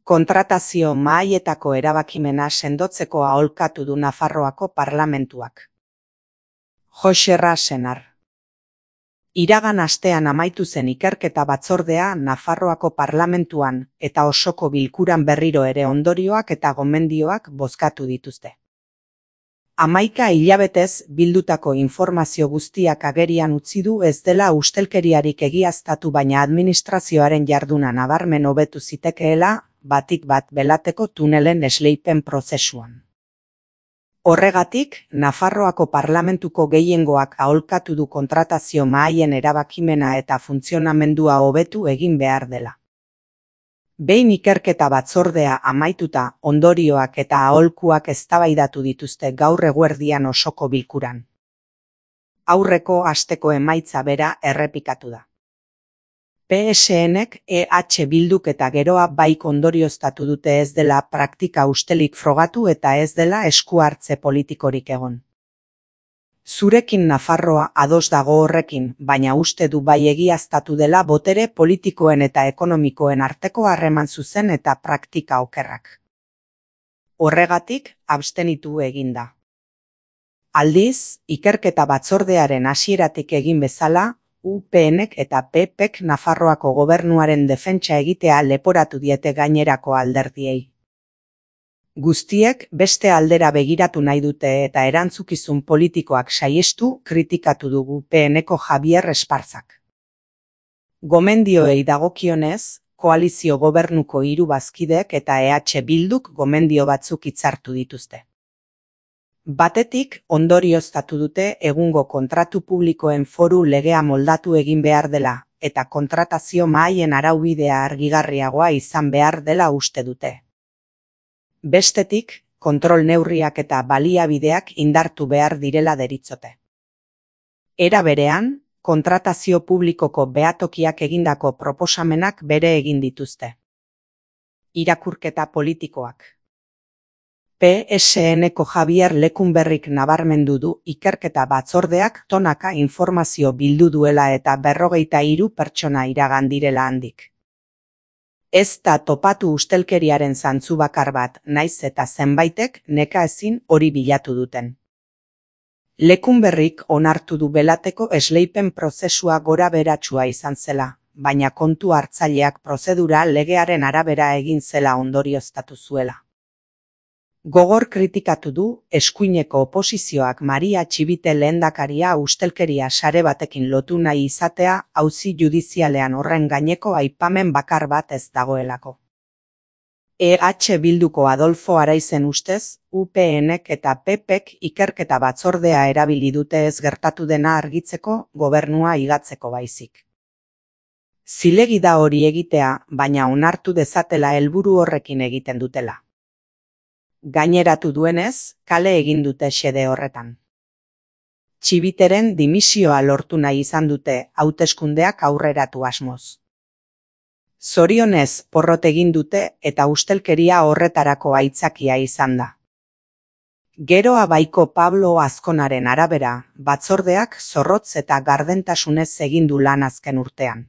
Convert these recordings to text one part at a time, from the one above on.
Kontratazio mahaietako erabakimena sendotzeko aholkatu du Nafarroako Parlamentuak. Joxe Rasenar. Iragan astean amaitu zen ikerketa batzordea Nafarroako Parlamentuan eta osoko bilkuran berriro ere ondorioak eta gomendioak bozkatu dituzte. 11 hilabetez bildutako informazio guztiak agerian utzi du ez dela ustelkeriarik egiaztatu, baina administrazioaren jarduna nabarmen hobetu zitekeela batik bat belateko tunelen esleipen prozesuan. Horregatik, Nafarroako Parlamentuko gehiengoak aholkatu du kontratazio mahaien erabakimena eta funtzionamendua hobetu egin behar dela. Behin ikerketa batzordea amaituta, ondorioak eta aholkuak eztabaidatu dituzte gaur eguerdian osoko bilkuran. Aurreko asteko emaitza bera errepikatu da. PSNek EH Bilduk eta geroa baik ondorioztatu dute ez dela praktika ustelik frogatu eta ez dela esku hartze politikorik egon. Zurekin Nafarroa ados dago horrekin, baina uste du bai egiaztatu dela botere politikoen eta ekonomikoen arteko harreman zuzen eta praktika okerrak. Horregatik, abstenitu egin da. Aldiz, ikerketa batzordearen hasieratik egin bezala, UPNek eta PPek Nafarroako gobernuaren defentsa egitea leporatu diete gainerako alderdiei. Guztiek beste aldera begiratu nahi dute eta erantzukizun politikoak saihestu kritikatu dugu PNeko Javier Esparzak. Gomendioei dagokionez, koalizio gobernuko 3 bazkideek eta EH Bilduk gomendio batzuk hitzartu dituzte. Batetik, ondorioztatu dute egungo kontratu publikoen foru legea moldatu egin behar dela, eta kontratazio mahaien araubidea argigarriagoa izan behar dela uste dute. Bestetik, kontrol neurriak eta baliabideak indartu behar direla deritzote. Era berean, kontratazio publikoko behatokiak egindako proposamenak bere egin dituzte. Irakurketa politikoak. PSNeko Javier Lekunberrik nabarmendu du ikerketa batzordeak tonaka informazio bildu duela eta 43 pertsona iragan direla handik. Ez da topatu ustelkeriaren zantzu bakar bat, naiz eta zenbaitek nekaezin hori bilatu duten. Lekunberrik onartu du belateko esleipen prozesua gora beratsua izan zela, baina kontu hartzaileak prozedura legearen arabera egin zela ondorioztatu zuela. Gogor kritikatu du eskuineko oposizioak Maria Txibite lehendakaria ustelkeria sare batekin lotu nahi izatea auzi judizialean horren gaineko aipamen bakar bat ez dagoelako. EH Bilduko Adolfo Araizen ustez, UPNek eta PPek ikerketa batzordea erabili dute ez gertatu dena argitzeko gobernua higatzeko baizik. Zilegi da hori egitea, baina onartu dezatela helburu horrekin egiten dutela. Gaineratu duenez, kale egin dute xede horretan. Txibiteren dimisioa lortu nahi izan dute hauteskundeak aurreratu asmoz. Zorionez porrot egin dute eta ustelkeria horretarako aitzakia izan da. Geroa baiko Pablo Azkonaren arabera, batzordeak zorrotz eta gardentasunez egin du lan azken urtean.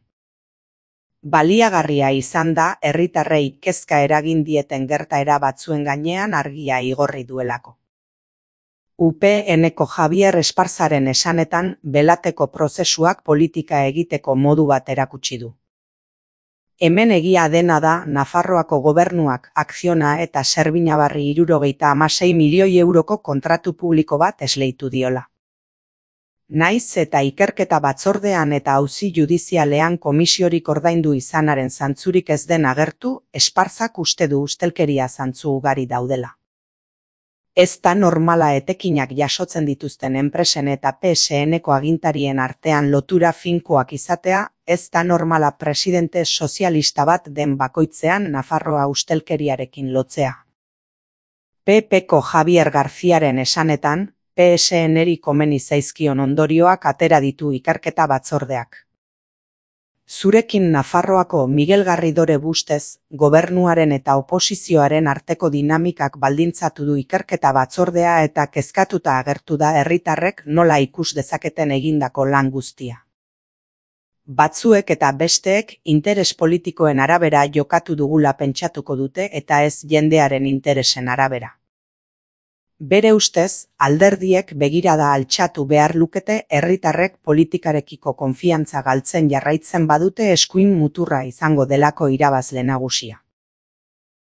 Baliagarria izan da herritarrei kezka eragin dieten gertaera batzuen gainean argia igorri duelako. UPNeko Javier Esparzaren esanetan belateko prozesuak politika egiteko modu bat erakutsi du. Hemen egia dena da Nafarroako gobernuak Akziona eta Zerbinabarri 76 milioi euroko kontratu publiko bat esleitu diola. Naiz eta ikerketa batzordean eta auzi judizialean komisiorik ordaindu izanaren zantzurik ez den agertu, Esparzak uste du ustelkeria zantzu ugari daudela. Ez da normala etekinak jasotzen dituzten enpresen eta PSNeko agintarien artean lotura finkoak izatea, ez da normala presidente sozialista bat den bakoitzean Nafarroa ustelkeriarekin lotzea. PPko Javier Garziaren esanetan, PSNeri komeni zaizkion ondorioak atera ditu ikerketa batzordeak. Zurekin Nafarroako Miguel Garridore bustez, gobernuaren eta oposizioaren arteko dinamikak baldintzatu du ikerketa batzordea eta kezkatuta agertu da herritarrek nola ikus dezaketen egindako lan guztia. Batzuek eta besteek interes politikoen arabera jokatu dugula pentsatuko dute eta ez jendearen interesen arabera. Bere ustez, alderdiek begirada altxatu behar lukete herritarrek politikarekiko konfiantza galtzen jarraitzen badute eskuin muturra izango delako irabazle nagusia.